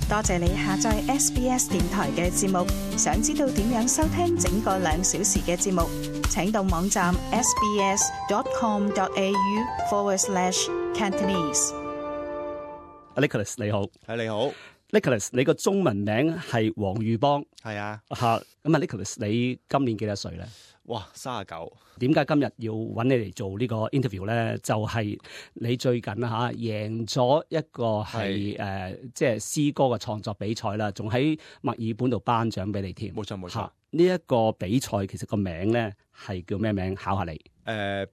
多謝你下載 SBS 電台嘅節目。想知道點樣收聽整個2小時嘅節目，請到網站 sbs.com.au/Cantonese。Nicholas 你好，你好 Nicholas， 你個中文名係黃裕邦，係啊，咁啊 Nicholas， 你今年幾多歲咧？哇，39。點解今日要揾你嚟做呢個 interview 咧？就係、是、你最近贏咗一個係即係詩歌嘅創作比賽啦，仲喺墨爾本度頒獎俾你添。冇錯冇錯。呢一個比賽其實個名咧係叫咩名？考下你。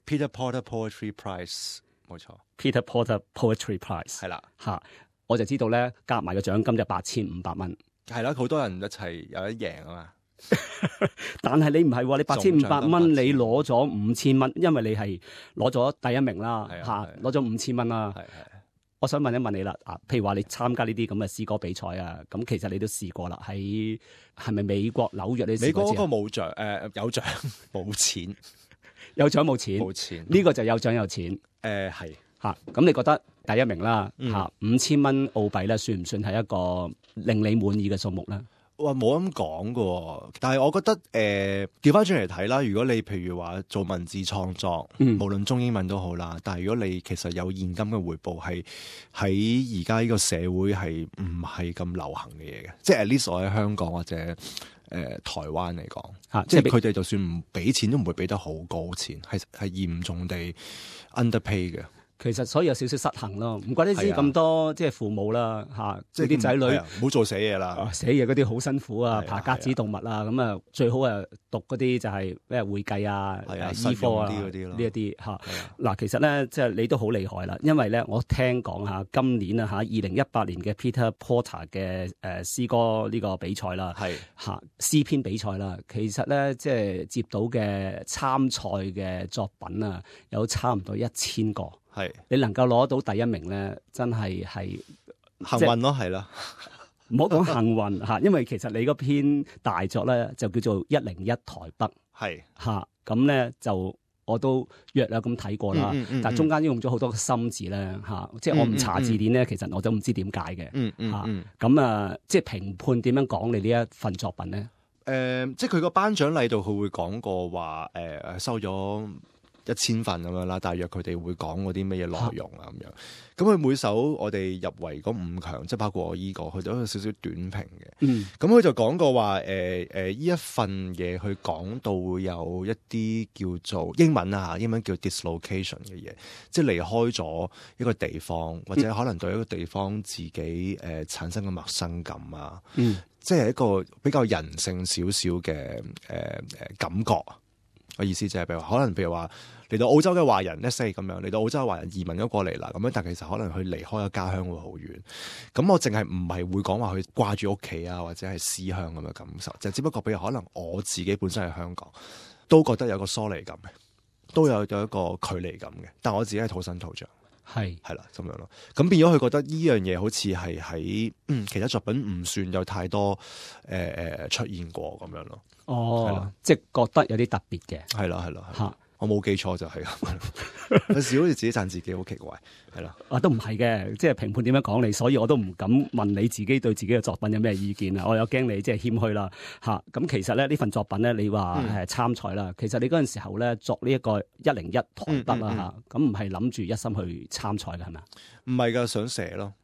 Peter Porter Poetry Prize， 冇錯。Peter Porter Poetry Prize 係啦。我就知道咧，夾埋個獎金就8500蚊。係啦，好多人一齊有得贏啊嘛。但係你唔係喎，你8500蚊，你攞咗5000蚊，因為你係攞咗第一名啦，攞咗5000蚊啦。我想問一問你啦，譬如話你參加呢啲咁嘅詩歌比賽啊，咁其實你都試過啦，係咪美國紐約？你試過？美國嗰個冇獎，有獎冇錢，有獎冇錢，冇錢。呢個就有獎有錢。係咁你覺得第一名啦，5000蚊澳幣咧，算唔算係一個令你滿意嘅數目咧？哇，冇咁講㗎，但係我覺得調翻轉嚟睇啦。如果你譬如話做文字創作，無論中英文都好啦，但係如果你其實有現金嘅回報，係喺而家呢個社會係唔係咁流行嘅嘢嘅，即係 at least 我喺香港或者台灣嚟講，即係佢哋就算唔俾錢都唔會俾得好高錢，係嚴重地 underpay 嘅。其實所以有少少失衡咯，唔怪得知咁多即係父母啦即係啲仔女唔好做寫嘢啦，寫嘢嗰啲好辛苦啊，爬格子動物啊，咁啊最好讀嗰啲就係咩會計啊、醫科啊呢一啲嗱，其實咧即係你都好厲害啦，因為咧我聽講今年2018年嘅 Peter Porter 嘅詩歌呢個比賽啦，詩篇比賽啦，其實咧即係接到嘅參賽嘅作品啊，有差唔多1000個。你能夠攞到第一名咧，真係幸運咯，係啦。唔好講幸運因為其實你嗰篇大作咧就叫做101台北，咁咧就我都約略咁睇過啦。但係中間用咗好多個心字咧即係我唔查字典咧，其實我都唔知點解嘅。咁即係評判點樣講你呢一份作品咧？即係佢個頒獎禮度，佢會講過話收咗1000份咁樣啦，大約佢哋會講嗰啲乜嘢內容啊咁樣。咁佢每首我哋入圍嗰5強，即係包括我依個，佢都有少少短評嘅。咁佢就講過話呢一份嘢，佢講到會有一啲叫做英文叫 dislocation 嘅嘢，即係離開咗一個地方，或者可能對一個地方自己產生嘅陌生感啊。即係一個比較人性少少嘅感覺。我意思就係譬如話嚟到澳洲嘅華人，let's say咁樣嚟到澳洲嘅華人移民咗過嚟啦，咁樣但其實可能佢離開咗家鄉會好遠。咁我淨係唔係會講話佢掛住屋企啊，或者係思鄉咁嘅感受，就只不過譬如可能我自己本身喺香港都覺得有個疏離感嘅，都有一個距離感嘅，但我自己係土生土長，係啦咁樣咯。咁變咗佢覺得呢樣嘢好似係喺其他作品唔算有太多出現過咁樣咯。即係覺得有啲特別嘅，係啦，我冇記錯就係咁。有時好似自己讚自己好奇怪，係啦。都唔係嘅，即係評判點樣講你，所以我都唔敢問你自己對自己嘅作品有咩意見啊。我有驚你即係謙虛啦咁其實咧呢份作品咧，你話參賽啦，其實你嗰陣時候咧作呢一個101台北啦咁唔係諗住一心去參賽嘅係咪？唔係㗎，想寫咯。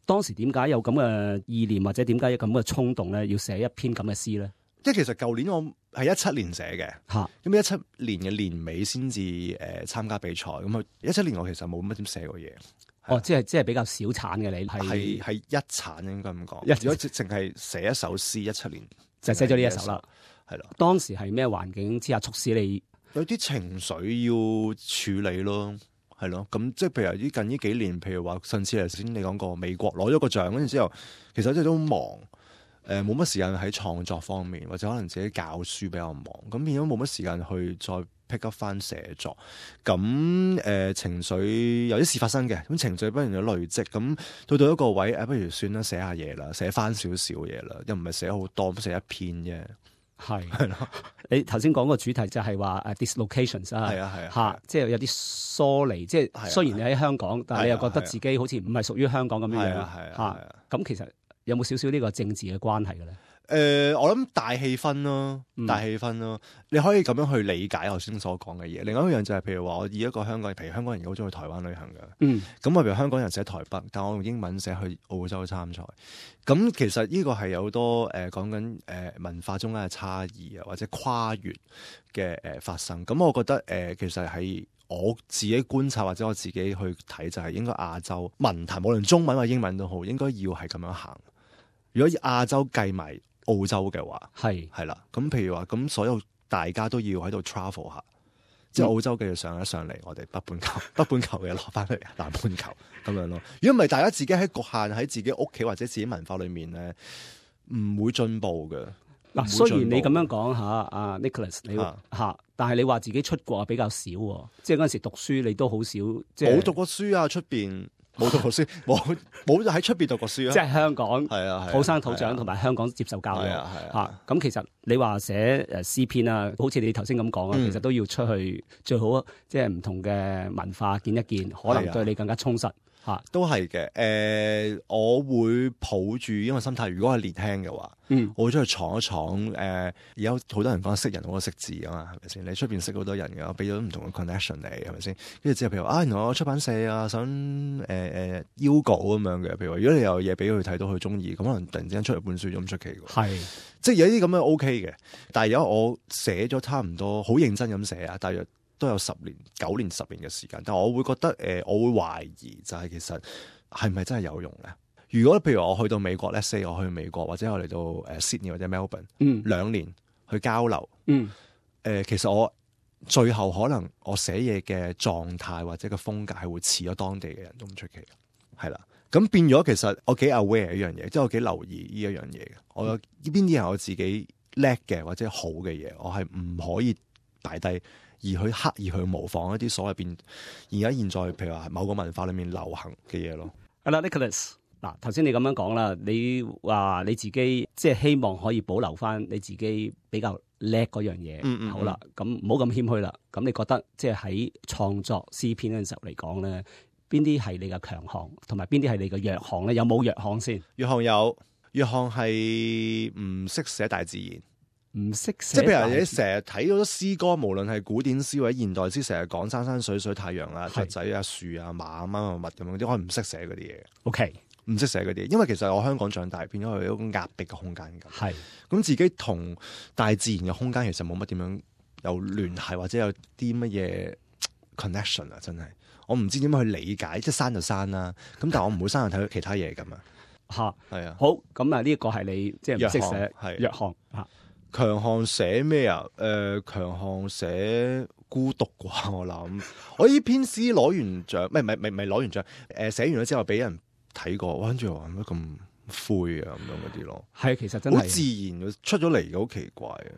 當時點解有咁嘅意念，或者點解有咁嘅衝動咧，要寫一篇咁嘅詩咧？即係其實舊年我係17年寫嘅，咁17年嘅年尾先至參加比賽。咁17年我其實冇乜點寫過嘢。即係比較少產嘅你係一產應該咁講。如果淨係寫一首詩，17年就寫咗呢一首啦。係啦。當時係咩環境之下促使你有啲情緒要處理咯？係咯。咁即係譬如近呢幾年，譬如話上次頭先你講過美國攞咗個獎，跟住之後其實真係都忙。冇乜時間喺創作方面，或者可能自己教書比較忙，咁變咗冇乜時間去再 pick up 翻寫作。咁情緒有啲事發生嘅，咁情緒不斷有累積，咁到一個位，不如算啦，寫下嘢啦，寫翻少少嘢啦，又唔係寫好多，咁寫一篇啫。係咯，你頭先講個主題就係話dislocations 即係有啲疏離，即係雖然你喺香港，但係你又覺得自己好似唔係屬於香港咁樣樣咁其實有冇少少呢個政治嘅關係嘅咧？我諗大氣氛咯，大氣氛咯，你可以咁樣去理解頭先所講嘅嘢。另外一樣就係，譬如話我以一個香港人，譬如香港人好中意去台灣旅行嘅，咁我譬如香港人寫台北，但我用英文寫去澳洲參賽，咁其實呢個係有好多講緊文化中間嘅差異啊，或者跨越嘅發生。咁我覺得其實係我自己觀察或者我自己去睇，就係應該亞洲文壇，無論中文或英文都好，應該要係咁樣行。如果亞洲計埋澳洲嘅話，係啦，咁譬如話，咁所有大家都要喺度 travel 下，即係澳洲繼續上一上嚟，我哋北半球嘅攞翻去南半球咁樣咯。如果唔係，大家自己喺局限喺自己屋企或者自己文化裏面咧，唔會進步嘅。嗱，雖然你咁樣講嚇，阿 Nicholas 你嚇，但係你話自己出國比較少喎，即係嗰陣時讀書你都好少，即係冇讀過書啊，出邊。冇讀過書，冇喺出邊讀過書啊！即係香港，係啊，土生土長同埋香港接受教育嚇。咁其實你話寫詩篇啊，好似你頭先咁講啊，其實都要出去，最好即係唔同嘅文化見一見，可能對你更加充實嚇。都係嘅，我會抱住因為心態，如果係年輕嘅話，我會出去闖一闖。而家好多人講識人好過識字啊嘛，係咪先？你出邊識好多人嘅，我俾咗唔同嘅 connection 你，係咪先？跟住之後譬如話原來我出版社啊，想邀稿咁樣嘅。譬如話，如果你有嘢俾佢睇到佢中意，咁可能突然之間出嚟本書咁出奇嘅。係，即係有啲咁樣 OK 嘅。但係而家我寫咗差唔多好認真咁寫啊，大約都有9年、10年嘅時間，但係我會覺得我會懷疑就係其實係咪真係有用咧？如果譬如我去到美國 let's say 我去美國或者我嚟到Sydney 或者 Melbourne 2年去交流，其實我最後可能我寫嘢嘅狀態或者個風格係會似咗當地嘅人都唔出奇，係啦。咁變咗其實我幾 aware 呢樣嘢，即係我幾留意呢一樣嘢嘅。我呢邊啲係我自己叻嘅或者好嘅嘢，我係唔可以擺低。而去刻意去模仿一啲所謂而家現在譬如話某個文化裏面流行嘅嘢咯。係啦，Nicholas，嗱頭先你咁樣講啦，你話你自己即係希望可以保留翻你自己比較叻嗰樣嘢。好啦，咁唔好咁謙虛啦。咁你覺得即係喺創作詩篇嗰陣時候嚟講咧，邊啲係你嘅強項，同埋邊啲係你嘅弱項咧？有冇弱項先？弱項係唔識寫大自然。唔識寫，即係譬如你成日睇好多詩歌，無論係古典詩或者現代詩，成日講山山水水、太陽啊、雀仔啊、樹啊、馬啊、乜乜咁樣啲，我係唔識寫嗰啲嘢。OK，唔識寫嗰啲，因為其實我香港長大，變咗係一種壓迫嘅空間咁。係咁自己同大自然嘅空間其實冇乜點樣有聯繫，或者有啲乜嘢 connection 啊！真係我唔知點樣去理解，即係山就山啦。咁但係我唔會山去睇其他嘢咁啊。嚇係啊。好，咁啊呢一個係你即係唔識寫弱項嚇。強項寫咩啊？強項寫孤獨啩，我諗。我呢篇詩攞完獎，唔係攞完獎。寫完咗之後俾人睇過，跟住話乜咁灰啊咁樣嗰啲咯。係，其實真係好自然出咗嚟嘅，好奇怪啊！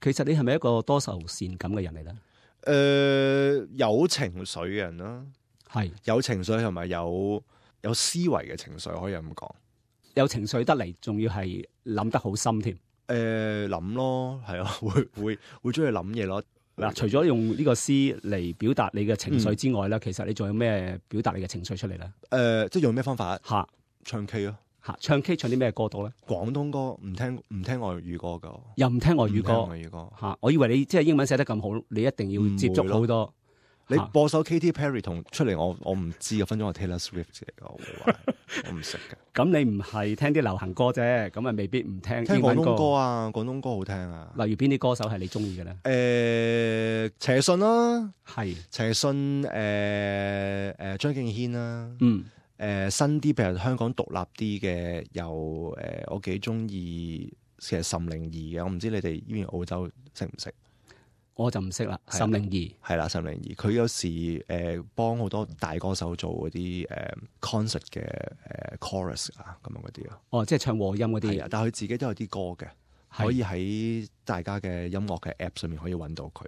其實你係咪一個多愁善感嘅人嚟咧？有情緒嘅人啦，係有情緒同埋有思維嘅情緒，可以咁講。有情緒得嚟，仲要係諗得好深添。諗咯，係啊，會中意諗嘢咯。嗱，除咗用呢個詩嚟表達你嘅情緒之外咧，其實你仲有咩表達你嘅情緒出嚟咧？即係用咩方法？吓，唱 K 咯。吓，唱 K 唱啲咩歌到咧？廣東歌，唔聽外語歌噶。又唔聽外語歌？吓，我以為你即係英文寫得咁好，你一定要接觸好多。你播首 Katy Perry 同出嚟，我唔知嘅，分鐘係 Taylor Swift 嚟嘅，我唔識嘅。咁你唔係聽啲流行歌啫，咁啊未必唔聽英文歌。聽廣東歌啊，廣東歌好聽啊。例如邊啲歌手係你中意嘅咧？陳奕迅啦，係陳奕迅，張敬軒啦，新啲譬如香港獨立啲嘅，有我幾中意其實岑寧兒嘅，我唔知你哋呢邊澳洲識唔識？我就唔識啦。岑寧兒係啦，岑寧兒佢有時幫好多大歌手做嗰啲concert 嘅chorus 啊咁樣嗰啲咯。哦，即係唱和音嗰啲。但係佢自己都有啲歌嘅，可以喺大家嘅音樂嘅 app 上面可以揾到佢。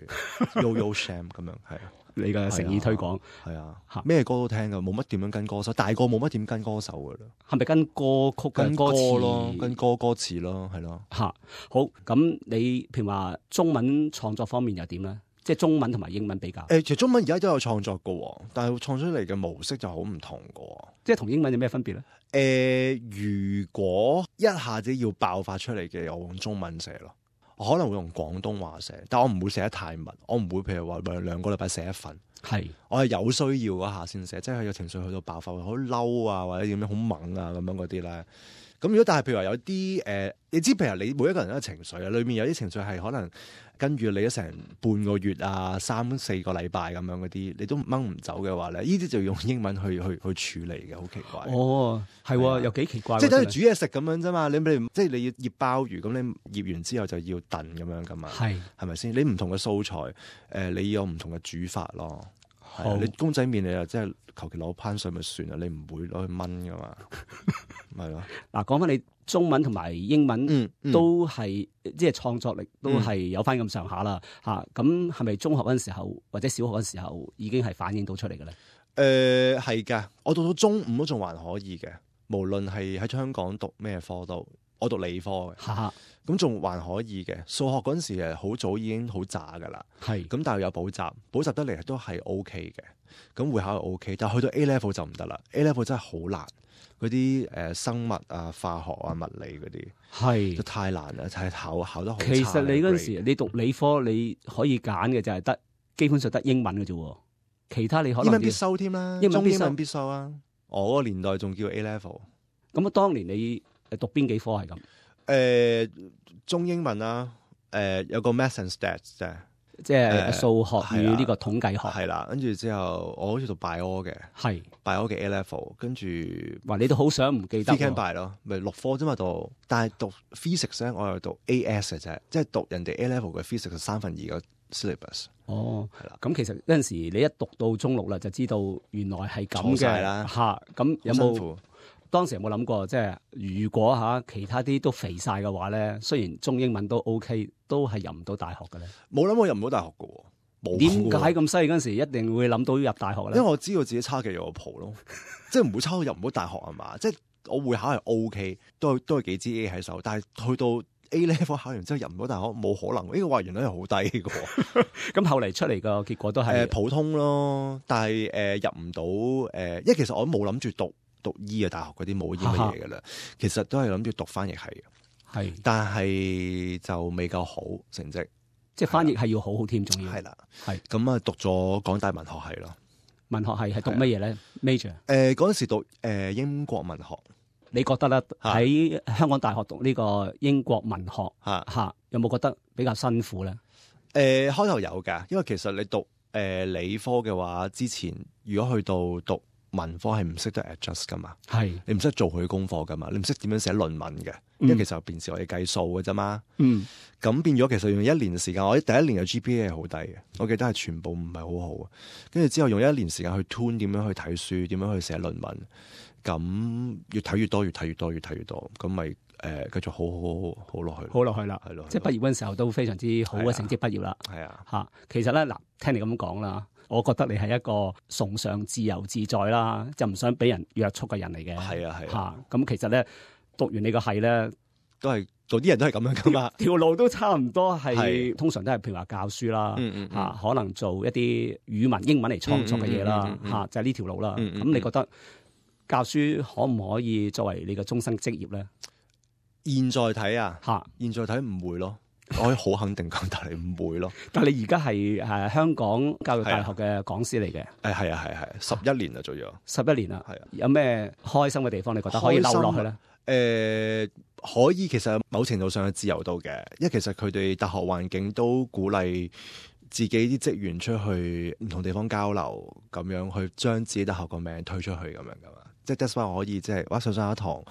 Yo Sham 咁樣係啊，你嘅誠意推廣係啊，咩歌都聽噶，冇乜點樣跟歌手，大個冇乜點跟歌手噶啦。係咪跟歌曲跟歌詞咯？跟歌詞咯，係咯。吓好，咁你譬如話中文創作方面又點咧？即係中文同埋英文比較。其實中文而家都有創作嘅，但係創出嚟嘅模式就好唔同嘅。即係同英文有咩分別咧？如果一下子要爆發出嚟嘅，我用中文寫咯。我可能會用廣東話寫，但我唔會寫得太密。我唔會譬如話2個禮拜寫一份。係，我係有需要嗰下先寫，即係佢有情緒去到爆發，好嬲啊，或者點樣好猛啊咁樣嗰啲咧。咁如果但係譬如話有啲你知譬如你每一個人都有情緒啊，裏面有啲情緒係可能跟住你咗成半個月啊、3-4個禮拜咁樣嗰啲，你都掹唔走嘅話咧，呢啲就要用英文去處理嘅，好奇怪。哦，係，又幾奇怪。即係等於煮嘢食咁樣啫嘛，你即係你要醃鮑魚，咁你醃完之後就要燉咁樣噶嘛，係咪先？你唔同嘅素材，你有唔同嘅煮法咯。你公仔麵你又即係求其攞攀水咪算啦，你唔會攞去炆噶嘛，係咯。嗱，講翻你中文同埋英文都係即係創作力都係有翻咁上下啦嚇。咁係咪中學嗰陣時候或者小學嗰陣時候已經係反映到出嚟嘅咧？係㗎，我讀到中五都仲還可以嘅，無論係喺香港讀咩科都，我讀理科嘅。咁仲還可以嘅，數學嗰陣時好早已經好渣噶啦，咁但係有補習得嚟都係 OK 嘅，咁會考係 OK，但係去到 A level 就唔得啦。A level 真係好難，嗰啲生物啊、化學啊、物理嗰啲就太難啦，就係考得好差。其實你嗰陣時你讀理科你可以揀嘅就係基本上得英文嘅啫，其他你可能英文必修添啦，英文必修啊。我嗰個年代仲叫 A level。咁啊，當年你讀邊幾科係咁？中英文啦，有個 Maths and Stats 啫，即係數學與呢個統計學係啦。跟住之後，我好似讀 Bio 嘅，Bio 嘅 A level， 跟住話你都好想唔記得 Phy Chem Bio 咯，咪6科啫嘛讀，但係讀 Physics 咧，我又讀 AS 嘅啫，即係讀人哋 A level 嘅 Physics 2/3個 syllabus。哦，係啦。咁其實嗰陣時你一讀到中6啦，就知道原來係咁嘅啦嚇。咁有冇？當時有冇諗過，即係如果其他啲都肥晒嘅話咧，雖然中英文都 OK，都係入唔到大學嘅咧？冇諗過入唔到大學嘅喎，冇。點解咁犀利嗰陣時一定會諗到入大學咧？因為我知道自己差幾有個譜咯，即係唔會差到入唔到大學啊嘛。即係我會考係 OK，都係幾支 A 喺手，但係去到 A level 考完之後入唔到大學，冇可能。呢個話原來係好低嘅喎。咁後嚟出嚟個結果都係普通咯，但係入唔到因為其實我都冇諗住讀醫嘅大學嗰啲冇醫乜嘢嘅啦，其實都係諗住讀翻譯系嘅，但係就未夠好成績，即係翻譯係要好好添，仲要係啦，咁啊讀咗港大文學系咯。文學系係讀乜嘢咧 ？major 嗰陣時讀英國文學，你覺得咧喺香港大學讀呢個英國文學有冇覺得比較辛苦咧？開頭有㗎，因為其實你讀理科嘅話，之前如果去到讀文科係唔識得 adjust 噶嘛，你唔識做佢功課噶嘛，你唔識點樣寫論文嘅，因為其實平時我哋計數嘅啫嘛。咁變咗其實用1年時間，我第1年嘅 GPA 係好低嘅，我記得係全部唔係好好。跟住之後用1年時間去 tune 點樣去睇書，點樣去寫論文，咁越睇越多，咁咪繼續好落去啦，係咯。即係畢業嗰陣時候都非常之好嘅成績畢業啦。係啊，其實咧嗱，聽你咁講啦。我覺得你係一個崇尚自由自在啦，就唔想俾人約束嘅人嚟嘅。係啊，咁其實咧讀完你個系咧，都係做啲人都係咁樣噶嘛，條路都差唔多係，通常都係譬如話教書啦，可能做一啲語文、英文嚟創作嘅嘢啦，就係呢條路啦。咁你覺得教書可唔可以作為你嘅終生職業咧？現在睇現在睇唔會咯。我可以好肯定講，但係唔會咯。但係你而家係香港教育大學嘅講師嚟嘅。係11年啦，做咗11年啦。有咩開心嘅地方？你覺得可以留落去咧？可以，其實某程度上嘅自由度嘅，因為其實佢哋大學環境都鼓勵自己啲職員出去唔同地方交流，咁樣去將自己大學個名推出去咁樣噶嘛。即係 that's why 我可以即係上一堂。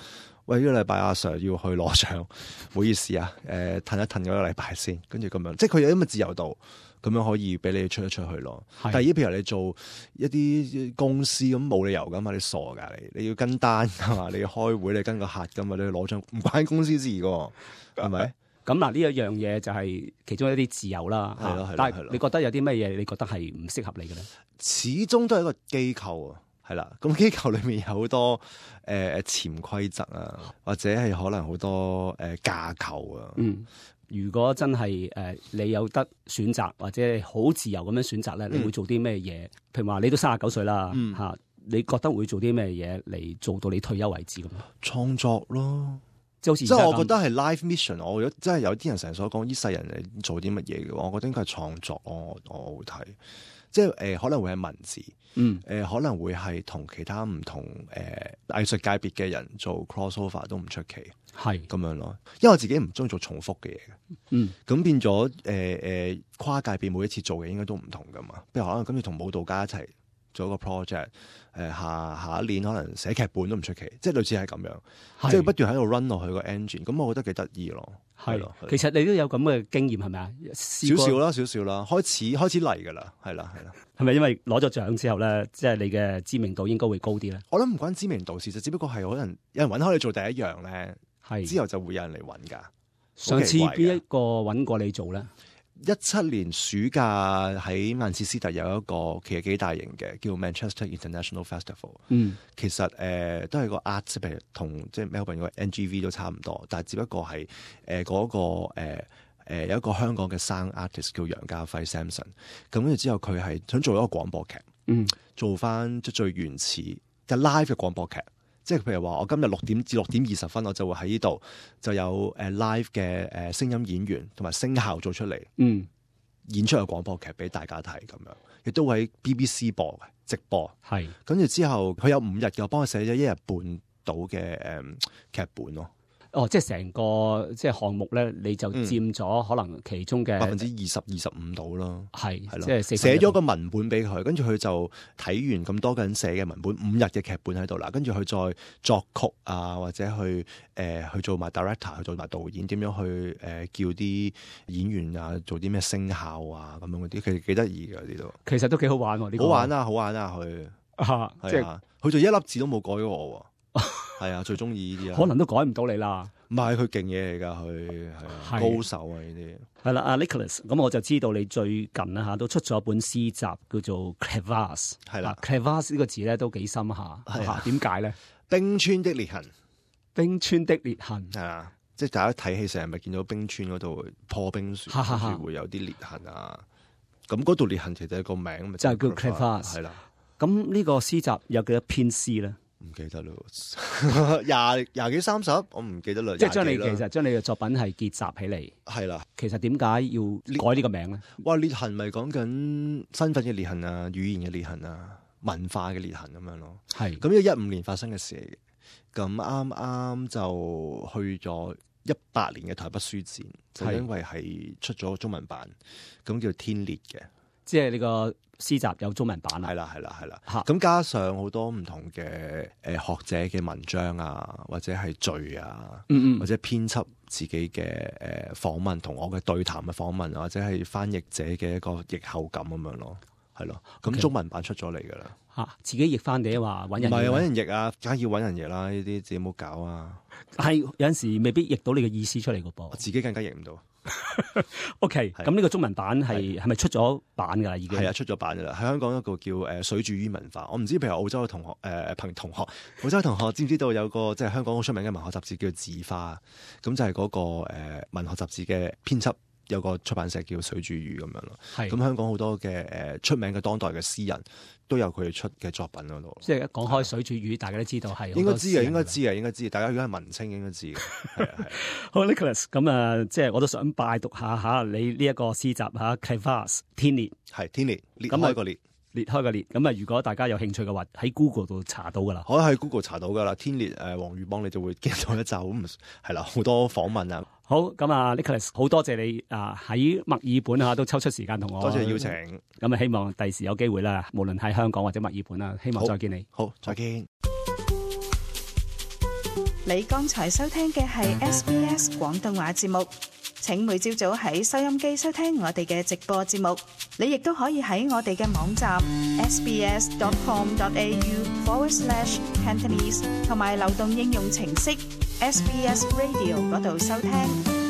喂，呢個禮拜阿 Sir 要去攞獎，唔好意思啊，褪一褪嗰個禮拜先，跟住咁樣，即係佢有咁嘅自由度，咁樣可以俾你出一出去咯。但係譬如你做一啲公司咁冇理由噶嘛，你傻噶你要跟單噶嘛，你要開會你跟個客噶嘛，你要攞獎唔關公司事噶，係咪？咁嗱呢一樣嘢就係其中一啲自由啦。係咯，但係你覺得有啲乜嘢你覺得係唔適合你嘅咧？始終都係一個機構啊。係啦，咁機構裏面有好多潛規則啊，或者係可能好多架構啊。如果真係你有得選擇或者好自由咁樣選擇咧，你會做啲咩嘢？譬如話你都39歲啦，嚇，你覺得會做啲咩嘢嚟做到你退休為止咁？創作咯。即係我覺得係 life mission。我真係有啲人成日所講，呢世人你做啲乜嘢嘅話，我覺得應該係創作。我會睇，即係可能會係文字，可能會係同其他唔同藝術界別嘅人做 crossover 都唔出奇，係咁樣咯。因為我自己唔中意做重複嘅嘢嘅，咁變咗跨界別每一次做嘅應該都唔同噶嘛。譬如可能跟住同舞蹈家一齊做一個 project。下一年可能寫劇本都唔出奇，即係類似係咁樣，即係不斷喺度 run 落去個 engine，咁我覺得幾得意咯。係咯，其實你都有咁嘅經驗係咪啊？少少啦，開始嚟㗎啦，係啦。係咪因為攞咗獎之後咧，即係你嘅知名度應該會高啲咧？我諗唔關知名度事，就只不過係可能有人揾開你做第一樣咧，之後就會有人嚟揾㗎。上次邊一個揾過你做咧？17年暑假喺曼徹斯特有一個其實幾大型嘅叫 Manchester International Festival。其實都係個 art， 譬如同即係 Melbourne 個 NGV 都差唔多，但係只不過係嗰個有一個香港嘅生 artist 叫楊家輝 Samson。咁跟住之後佢係想做一個廣播劇，做翻即最原始嘅 live 嘅廣播劇。即係譬如話，我今日6點至6點20分，我就會喺呢度就有live 嘅聲音演員同埋聲效做出嚟，演出個廣播劇俾大家睇咁樣，亦都會喺 BBC 播嘅直播。係跟住之後，佢有5日嘅，我幫佢寫咗1日半到嘅劇本咯。即係成個即係項目咧，你就佔咗可能其中嘅20%-25%到咯。係即係寫咗個文本俾佢，跟住佢就睇完咁多個人寫嘅文本，5日嘅劇本喺度啦，跟住佢再作曲啊，或者去做埋 director， 去做埋導演，點樣去叫啲演員啊做啲咩聲效啊咁樣嗰啲，其實幾得意嘅呢度。其實都幾好玩喎，呢個好玩啊佢即係佢就一粒字都冇改過我。係啊，最中意呢啲啊，可能都改唔到你啦。唔係佢勁嘢嚟㗎，佢係高手啊呢啲。係啦，阿 Nicholas， 咁我就知道你最近啊都出咗一本詩集叫做 Crevasse。係啦，Crevasse 呢個字咧都幾深下。係點解咧？冰川的裂痕。冰川的裂痕。係啊，即係大家睇戲成日咪見到冰川嗰度破冰雪，跟住會有啲裂痕啊。咁嗰度裂痕其實係個名咪就係叫 Crevasse。係啦。咁呢個詩集有幾多篇詩咧？唔記得咯，20幾30，我唔記得啦。即係將你嘅作品係結集起嚟。係啦，其實點解要改呢個名咧？哇，裂痕咪講緊身份嘅裂痕啊，語言嘅裂痕啊，文化嘅裂痕咁樣咯。係咁，呢個15年發生嘅事嚟嘅。咁啱啱就去咗18年嘅台北書展，就因為係出咗中文版，咁叫天裂嘅。即係呢個詩集有中文版啊！係啦，咁加上好多唔同嘅學者嘅文章啊，或者係序啊，或者編輯自己嘅訪問同我嘅對談嘅訪問，或者係翻譯者嘅一個譯後感咁樣咯，係咯。咁中文版出咗嚟㗎啦。嚇！自己譯翻定話揾人？唔係揾人譯啊，梗係要揾人譯啦。呢啲自己冇搞啊。係有陣時未必譯到你嘅意思出嚟㗎噃。我自己更加譯唔到。OK，咁呢個中文版係咪出咗版㗎啦？已經係啊，出咗版㗎啦。喺香港一個叫水煮魚文化，我唔知譬如澳洲嘅同學澳洲同學知唔知道有個即係香港好出名嘅文學雜誌叫字花，咁就係嗰個文學雜誌嘅編輯。有個出版社叫水煮魚咁樣咯，咁香港好多嘅出名嘅當代嘅詩人都有佢哋出嘅作品嗰度。即係一講開水煮魚，大家都知道係應該知嘅，應該知。大家如果係文青應該知嘅。係啊。好 Nicholas， 咁即係我都想拜讀下你呢一個詩集嚇 Crevasse 天裂，係天裂裂開個裂。裂開個裂，咁啊！如果大家有興趣嘅話，喺 Google 度查到噶啦，可以喺 Google 查到噶啦。天裂黃裕邦，你就會見到一集咁係啦，好多訪問啊。好，咁啊 Nicholas， 好多謝你喺墨爾本都抽出時間同我，多謝邀請。咁啊，希望第時有機會啦，無論喺香港或者墨爾本啊，希望再見你。好，再見。你剛才收聽嘅係 SBS 廣東話節目。請每朝早喺收音機收聽我哋嘅直播節目，你亦都可以喺我哋嘅網站 sbs.com.au/Cantonese 同埋流動應用程式 SBS Radio 嗰度收聽。